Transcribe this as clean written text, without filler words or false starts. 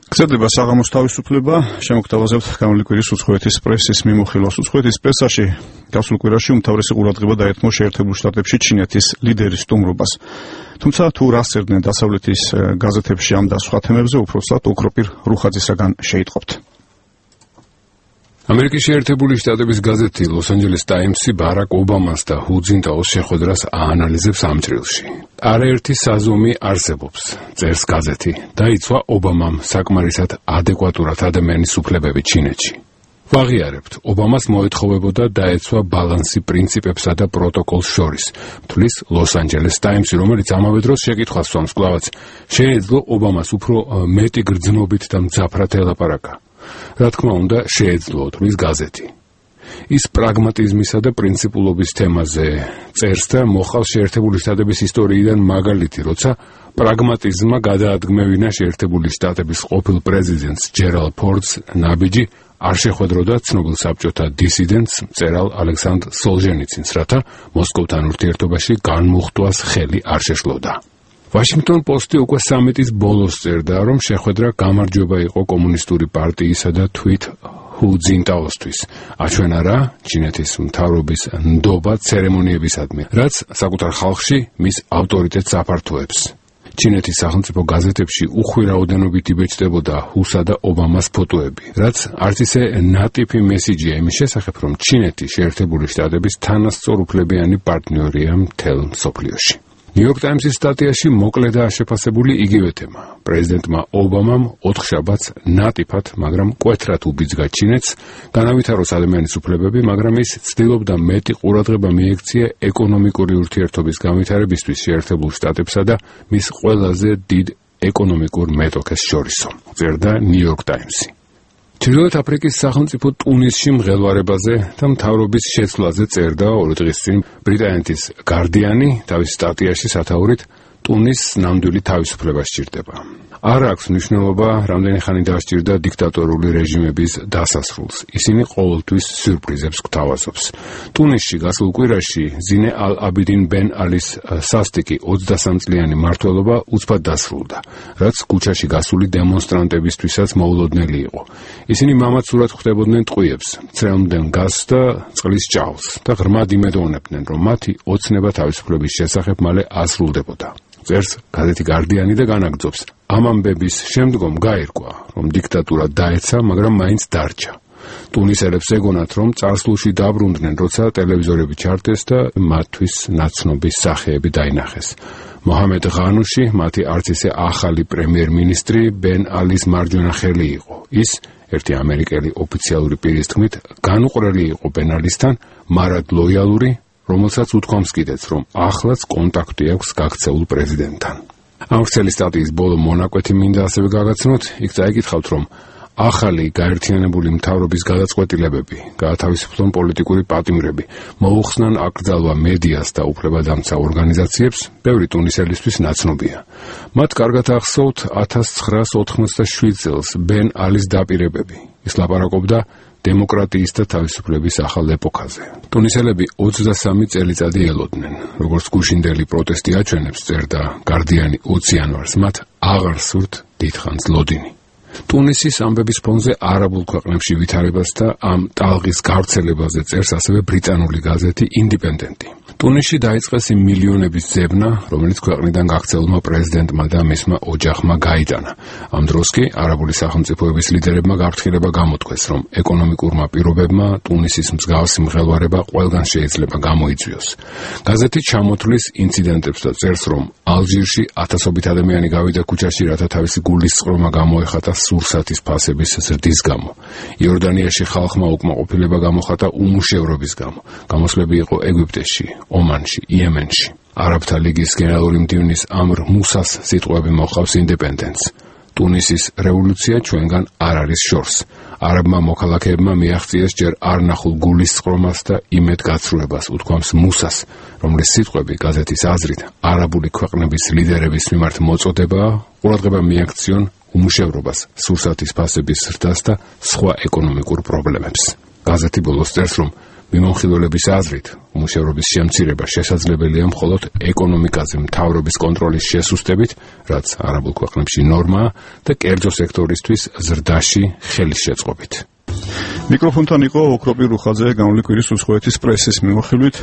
გრძელდება საღამოს თავისუფლება, შემოგთავაზებთ გამული კვირის უცხოეთის პრესის მიმოხილვას. უცხოეთის პრესაში გასულ კვირაში უმთავრესი ყურადღება დაეთმო შეერთებულ შტატებში ჩინეთის ლიდერის სტუმრობას. თუმცა თუ რას წერდნენ დასავლეთის გაზეთებში ამ და სხვა თემებზე, უпроსტად ოქროპირ რუხაძისაგან შეიტყობთ. ამერიკის შეერთებული შტატების გაზეთი ლოს-ანჯელეს ტაიმსი ბარაკ ობამას და ჰუ ძინტაოს შეხვედრას აანალიზებს ამ ჭრილში. არაერთი საზომი არსებობს, წერს გაზეთი, დაიცვა ობამამ საკმარისად ადეკვატურად ადამიანის უფლებები ჩინეთში. ვაღიარებთ, ობამას მოეთხოვებოდა დაეცვა ბალანსი პრინციპებსა და პროტოკოლს შორის, თვლის ლოს-ანჯელეს ტაიმსი, რომელიც ამავე დროს შეკითხვას სვამს კვლავაც, შეეძლო ობამას უფრო მეტი გრძნობით და მძაფრად ელაპარაკა. რა თქმა უნდა, შეეძლო, თვლის გაზეთი. ის პრაგმატიზმისა და პრინციპულობის თემაზე წერს და მოხალ შეერთებული შტატების ისტორიიდან მაგალითი, როცა პრაგმატიზმმა გადაადგმევინა შეერთებული შტატების ყოფილ პრეზიდენტს ჯერალდ ფორდს ნაბიჯი არ შეხვედროდა ცნობილ საბჭოთა დისიდენტს მწერალ ალექსანდრ სოლჟენიცინს, რათა მოსკოვთან ურთიერთობაში განმუხტვას ხელი არ შეშლოდა. ვაშინგტონ პოსტი უკვე სამიტის ბოლოს წერდა, რომ შეხვედრა გამარჯვება იყო კომუნისტური პარტიისა და თვით ჰუ ძინტაოსთვის. აჩვენა რა ჩინეთის მთავრობის ნდობა ცერემონიებისადმი, რაც საკუთარ ხალხში მის ავტორიტეტს აფართოებს. ჩინეთის სახელმწიფო გაზეთებში უხვირაუდენობით იბეჭდებოდა ჰუსა და ობამას ფოტოები, რაც არც ისე ნატიფი მესიჯია იმის შესახებ, რომ ჩინეთი შეერთებული შტატების თანასწორუფლებიანი პარტნიორია მთელ მსოფლიოში. ნიუ-იორკ ტაიმსის სტატიაში მოკლედაა შეფასებული იგივე თემა. პრეზიდენტმა ობამამ ოთხშაბათს ნატიფად, მაგრამ მკვეთრად უბიძგა ჩინეთს, განავითაროს ადამიანის უფლებები, მაგრამ ის ცდილობდა მეტი ყურადღება მიექცია ეკონომიკური ურთიერთობის განვითარებისთვის შეერთებულ შტატებსა და მის ყველაზე დიდ ეკონომიკურ მეტოქეს შორისო, წერდა ნიუ-იორკ ტაიმსი. ჩრდილოეთ აფრიკის სახელმწიფო ტუნისში მღელვარებაზე და მთავრობის შეცვლაზე წერდა 2 დღის წინ ბრიტანეთის გარდიანი თავის სტატიაში სათაურით ტუნისს ნამდვილი თავისუფლება სჭირდება. არ აქვს მნიშვნელობა, რამდენი ხანი დასჭირდა დიქტატორული რეჟიმების დასასრულს. ისინი ყოველთვის სიურპრიზებს გვთავაზობს. ტუნისში გასულ კვირაში ზინე ალ-აბიდინ ბენ ალის სასტიკი 23 წლიანი მმართველობა უცბად დასრულდა, რაც ქუჩაში გასული დემონსტრანტებისთვისაც მოულოდნელი იყო. ისინი მამაცურად ხვდებოდნენ ტყვიებს, მცრემლდნენ გაზს და წყლის ჭაობს და ღრმად იმედოვნებდნენ, რომ მათი ოცნება თავისუფლების შესახებ მალე ასრულდებოდა. წერს გაზეთი გარდიანი და განაგრძობს. ამ ამბების შემდგომ გაირკვა, რომ დიქტატურა დაეცა, მაგრამ მაინც დარჩა. ტუნისელებს ეგონათ, რომ წარსულში დაბრუნდნენ, როცა ტელევიზორები ჩართეს და მათთვის ნაცნობის სახეები დაინახეს. მოჰამედ ღანუში, მათი არც ისე ახალი პრემიერ-მინისტრი ბენ ალის მარჯვენა ხელი იყო. ის ერთი ამერიკელი ოფიციალური პირის თქმით განუყრელი იყო ბენ ალისთან, მარად ლოიალური, რომელსაც უთქვამს კიდეც, რომ ახლაც კონტაქტი აქვს გაქცეულ პრეზიდენტთან. ამ ვრცელი სტატიის ბოლო მონაკვეთი მინდა ასევე გაგაცნოთ, იქ წაიკითხავთ, რომ ახალი გაერთიანებული მთავრობის გადაწყვეტილებები, გაათავისუფლონ პოლიტიკური პატიმრები, მოუხსნან აკრძალვა მედიას და უფლებადამცა ორგანიზაციებს, ბევრი ტუნისელისთვის ნაცნობია. მათ კარგად ახსოვთ 1987 წელს ბენ ალის დაპირებები. ის ლაპარაკობდა დემოკრატიის და თავისუფლების ახალ ეპოქაზე. ტუნისელები 23 წელიწადი ელოდნენ. როგორც გუშინდელი პროტესტი აჩვენებს, წერდა გარდიანი 20 იანვარს, მათ აღარ სურთ დიდხანს ლოდინი. ტუნისის ამბების ფონზე არაბულ ქვეყნებში ვითარებას და ამ ტალღის გავრცელებაზე წერს ასევე ბრიტანული გაზეთი ინდიპენდენტი. ტუნისში დაიწყეს იმ მილიონების ძებნა, რომელიც ქვეყნიდან გაქცეულმა პრეზიდენტმა და მისმა ოჯახმა გაიტანა. ამ დროს კი არაბული სახელმწიფოების ლიდერებმა გაფრთხილება გამოთქვეს, რომ ეკონომიკურმა პირობებმა ტუნისის მსგავსი მღელვარება ყველგან შეიძლება გამოიწვიოს. გაზეთი ჩამოთვლის ინციდენტებს და წერს, რომ ალჟირში ათასობით ადამიანი გავიდა ქუჩაში, რათა თავისი გულისწყრომა გამოეხატა სურსათის ფასების ზრდის გამო. იორდანიაში ხალხმა უკმაყოფილება გამოხატა უმუშევრობის გამო. გამოსვლები იყო ეგვიპტეში, ომანში, იემენში. არაბთა ლიგის გენერალური მდივნის ამრ მუსას სიტყვები მოჰყავს ინდეპენდენტს. ტუნისის რევოლუცია ჩვენგან არ არის შორს. არაბმა მოქალაქეებმა მიაღწიეს ჯერ არ ნახულ გულისწყრომას და იმედგაცრუებას, უთქვამს მუსას, რომლის სიტყვები გაზეთის აზრით არაბული ქვეყნების ლიდერების მიმართ მოწოდებაა, ყურადღება მიაქციონ უმუშევრობას, სურსათის ფასების ზრდას და სხვა ეკონომიკურ პრობლემებს. გაზეთი ბოლოს წერს, რომ მიმოხილველების აზრით, უმუშევრობის შემცირება შესაძლებელია მხოლოდ ეკონომიკაზე მთავრობის კონტროლის შესუსტებით, რაც არაბულ ქვეყნებში ნორმაა და კერძო სექტორისთვის ზრდაში ხელის შეწყობით. მიკროფონთან იყო ოქროპირ რუხაძე, გამოლიკვირის უცხოეთის პრესის მიმოხილვით.